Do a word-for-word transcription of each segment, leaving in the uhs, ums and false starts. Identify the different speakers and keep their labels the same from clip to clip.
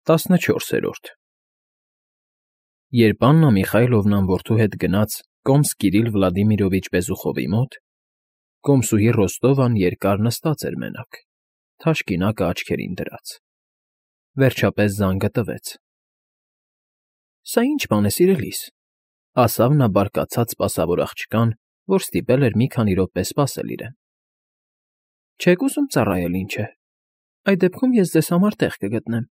Speaker 1: տասնչորսերորդ Երբ Աննա Միխայլովնան որդու հետ գնաց կոմս Կիրիլ Վլադիմիրովիչ Բեզուխովի մոտ, կոմսուհի Ռոստովան երկար նստած էր մենակ, թաշկինակը աչքերին դրած. վերջապես զանգը տվեց։ ֊ Սա ի՞նչ բան է, սիրելիս,֊ ասավ նա բարկացած սպասավոր աղջկան, որ ստիպել էր մի քանի րոպե սպասել իրեն։ ֊ Չե՞ք ուզում ծառայել, ինչ է, այդ դեպքում ես ձեզ համար տեղ կգտնեմ։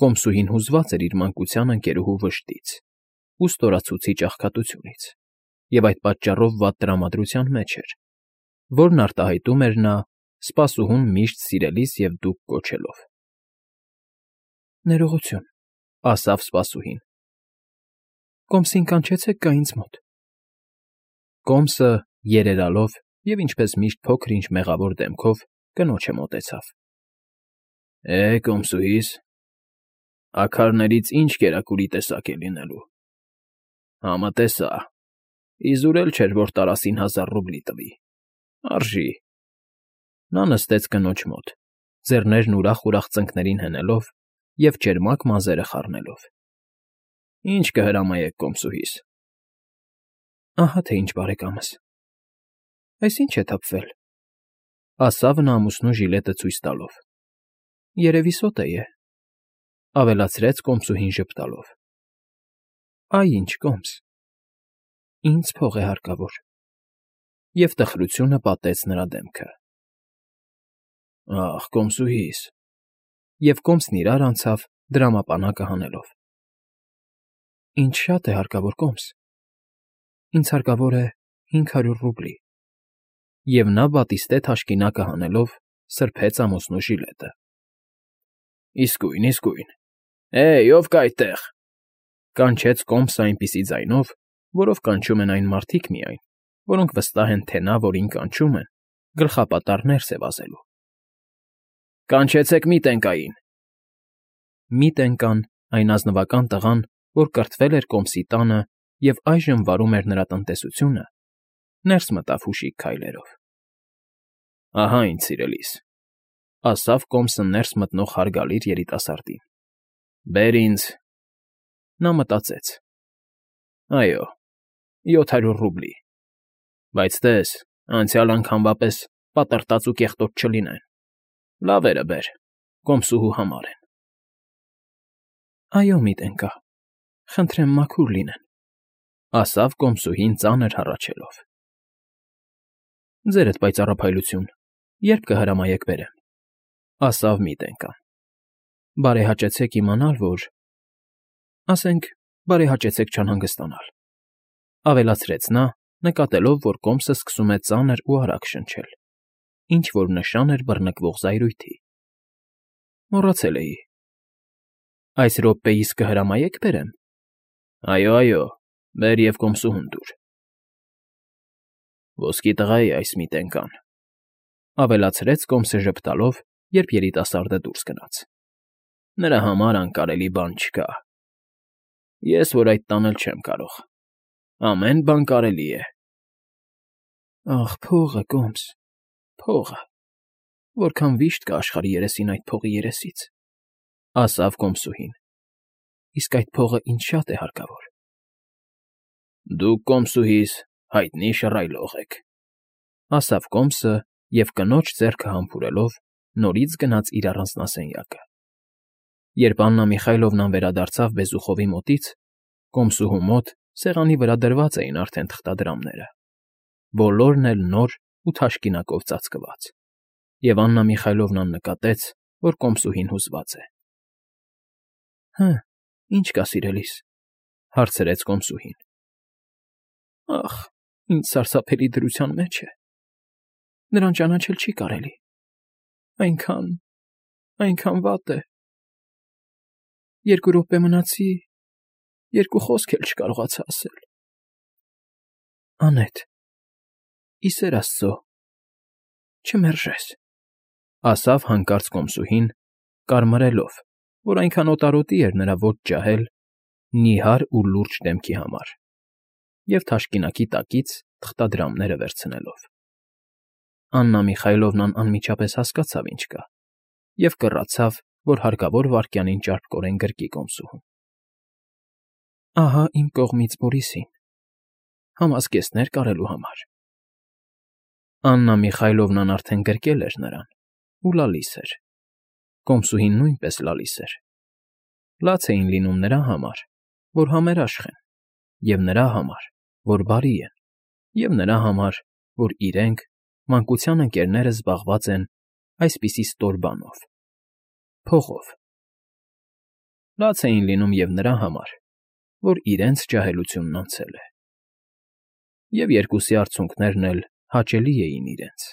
Speaker 1: Կոմսուհին հուզված էր իր մանկության ընկերուհու վշտից ու ստորացուցիչ աղքատությունից և այդ պատճառով վատ տրամադրության մեջ էր, որն արտահայտում էր նա՝ սպասուհուն միշտ սիրելիս և դուք կոչելով։ ֊ Ներողություն,֊ ասավ սպասուհին։ Կոմսին կանչեցեք գա ինձ մոտ։ Կոմսը, երերալով և ինչպես միշտ փոքր֊ինչ մեղավոր դեմքով, կնոջը մոտեցավ։ ֊ Է, կոմսուհիս, աքարներից ի՞նչ կերակուրի տեսակ է լինելու։ Համը տեսա, իզուր էլ չէր, որ տարասին հազար ռուբլի տվի, արժի։ Նա նստեց կնոջ մոտ, ձեռներն ուրախ֊ուրախ ծնկներին հենելով և ճերմակ մազերը խառնելով։ ֊ Ի՞նչ կհրամայեք, կոմսուհիս։ ֊ Ահա թե ինչ, բարեկամս։ Այս ի՞նչ է թափվել,֊ ասավ նա ամուսնու ժիլետը ցույց տալով։ ֊ Երևի սոտե է,֊ ավելացրեց կոմսուհին ժպտալով։ ֊ Այ ինչ, կոմս, ինձ փող է հարկավոր, և տխրությունը պատեց նրա դեմքը։ ֊ Ախ, կոմսուհիս,֊ և կոմսն իրար անցավ, դրամապանակը հանելով։ ֊ Ինձ շատ է հարկավոր, կոմս, ինձ հարկավոր է հինգ հարյուր ռուբլի, և նա բատիստե թաշկինակը հանելով սրբեց ամուսնու ժիլետը։ ֊ Իսկույն, իսկույն, Է՜յ, ով կա այդտեղ,֊ կանչեց կոմսը այնպիսի ձայնով, որով կանչում են այն մարդիկ միայն, որոնք վստահ են, թե նա, որին կանչում են, գլխապատառ ներս է վազելու։ ֊ Կանչեցեք Միտենկային։ Միտենկան, այն ազնվական տղան, որ կրթվել էր կոմսի տանը և այժմ վարում էր նրա տնտեսությունը, ներս մտավ հուշիկ քայլերով։ ֊ Ահա ինչ, սիրելիս,֊ ասավ կոմսը ներս մտնող հարգալից երիտասարդին։ ֊ Բեր ինձ… Նա մտածեց. այո, յոթ հարյուր ռուբլի, բայց տես, անցյալ անգամվա պես պատրտած ու կեղտոտ չլինեն, լավերը բեր, կոմսուհու համար են։ ֊ Այո, Միտենկա, խնդրեմ մաքուր լինեն,֊ ասավ կոմսուհին ծանր հառաչելով։ ֊ Ձերդ պայծառափայլություն, ե՞րբ կհրամայեք բերեմ,֊ ասավ Միտենկան։ ֊ Բարեհաճեցեք իմանալ, որ… ասենք, բարեհաճեցեք չանհանգստանալ,֊ ավելացրեց նա, նկատելով, որ կոմսը սկսում է ծանր ու արագ շնչել, ինչ֊որ նշան էր բռնկվող զայրույթի։ ֊ Մոռացել էի… Այս րոպեիս կհրամայե՞ք բերեմ։ ֊ Այո, այո, բեր և կոմսուհուն տուր։ ֊ Ոսկի տղա է այս Միտենկան,֊ ավելացրեց կոմսը ժպտալով, երբ երիտասարդը դուրս գնաց։ ֊ Նրա համար անկարելի բան չկա։ Ես որ այդ տանել չեմ կարող, ամեն բան կարելի է։ ֊ Ախ, փողը, կոմս, փողը… Որքան վիշտ կա աշխարհի երեսին այդ փողի երեսից,֊ ասավ կոմսուհին։ ֊ Իսկ այդ փողը ինձ շատ է հարկավոր։ ֊ Դուք, կոմսուհիս, հայտնի շռայլող եք,֊ ասավ կոմսը և կնոջ ձեռքը համբուրելով նորից գնաց իր առանձնասենյակը։ Երբ Աննա Միխայլովնան վերադարձավ Բեզուխովի մոտից, կոմսուհու մոտ սեղանի վրա դրված էին արդեն թղթադրամները, բոլորն էլ նոր ու թաշկինակով ծածկված, և Աննա Միխայլովնան նկատեց, որ կոմսուհին հուզված է։ ֊ Հը, ի՞նչ կա, սիրելիս,֊ հարցրեց կոմսուհին։ ֊ Ախ, ինչ սարսափելի դրության մեջ է… Նրան ճանաչել չի կարելի… այնքան… այնքան վատ է… Երկու րոպե մնացի, երկու խոսք էլ չկարողացա ասել… Անետ, ի սեր աստծո, չմերժես,֊ ասավ հանկարծ կոմսուհին, կարմրելով, որ այնքան օտարոտի էր նրա ոչ ջահել, նիհար ու լուրջ դեմքի համար, և թաշկինակի տակից թղթադրամները վերցնելով։ Աննա Միխայլովնան անմիջապես հասկացավ ինչ կա և կռացավ, որ հարկավոր վայրկյանին ճարպկորեն գրկի կոմսուհուն։ Ահա իմ կողմից Բորիսին, համազգեստներ կարելու համար։ Աննա Միխայլովնան արդեն գրկել էր նրան ու լալիս էր, կոմսուհին նույնպես լալիս էր, լաց էին լինում նրա համար, որ համերաշխ են, և նրա համար, որ բարի են, և նրա համար, որ իրենք, մանկության ընկերները զբաղված են այսպիսի ստոր բանով՝ փողով, լաց էին լինում և նրա համար, որ իրենց ջահելությունն անցել է, և երկուսի արցունքներն էլ հաճելի էին իրենց։